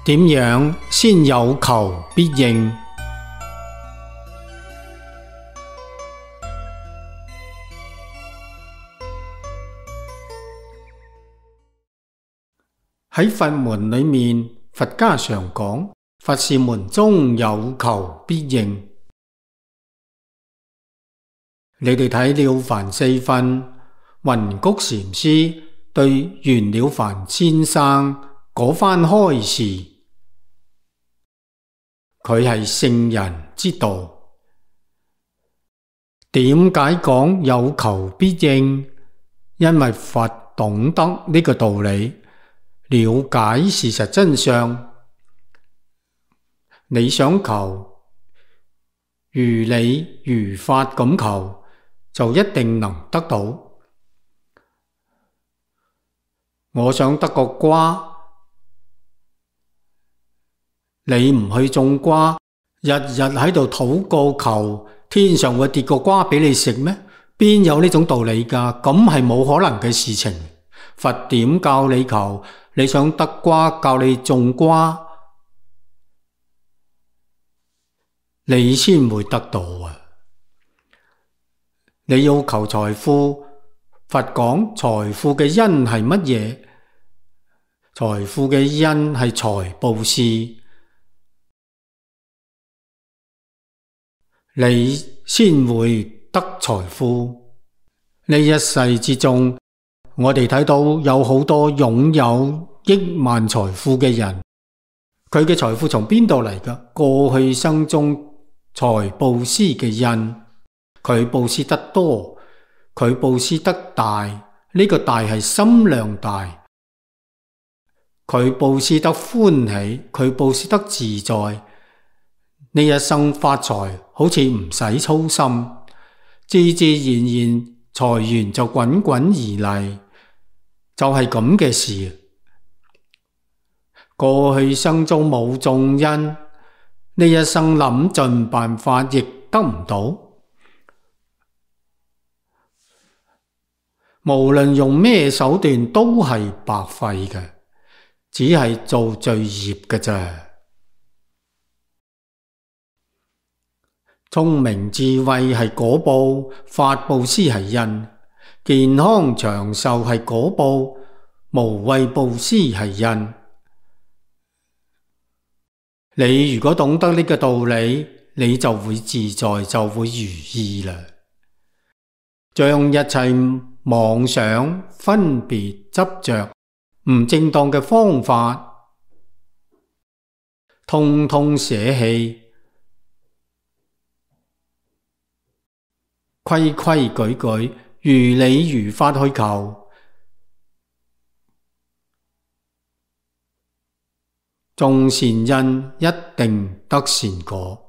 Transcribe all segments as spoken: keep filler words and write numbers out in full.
點樣先有求必應？喺佛門裏面，佛家常講佛是門中有求必應。你哋睇《了凡四訓》，雲谷禪師對袁了凡先生嗰番開示，佢係聖人之道。點解講有求必應？因為佛懂得呢個道理，了解事實真相。你想求，如理如法咁求，就一定能得到。我想得個瓜，你唔去種瓜，日日喺度禱告求，天上會跌個瓜俾你食咩？邊有呢種道理㗎？咁係冇可能嘅事情。佛點教你求？你想得瓜，教你種瓜，你先會得到啊！你要求財富，佛講財富嘅因係乜嘢？財富嘅因係財布施，你先會得財富。呢一世之中，我哋睇到有好多擁有億萬財富嘅人，佢嘅財富從邊度嚟㗎？過去生中財布施嘅因，佢布施得多，佢布施得大，呢個大係心量大。佢布施得歡喜，佢布施得自在，呢一生發財好似唔使操心，自自然然財源就滾滾而嚟，就係咁嘅事。過去生中冇種因，呢一生諗盡辦法亦得唔到。無論用咩手段都係白費嘅，只係做罪業嘅啫。聰明智慧係果報，法布施係因，健康長壽係果報，無畏布施係因。你如果懂得呢個道理，你就會自在，就會如意啦。將一切妄想、分別、執着、唔正當嘅方法，通通捨棄，規規矩矩，如理如法去求，種善因一定得善果。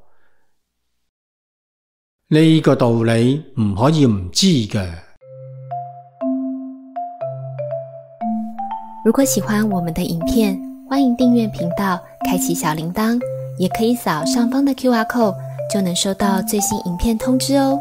呢個道理唔可以唔知嘅。如果喜歡我們的影片，歡迎訂閱頻道，開啟小鈴鐺，也可以掃上方的 Q R code，就能收到最新影片通知哦。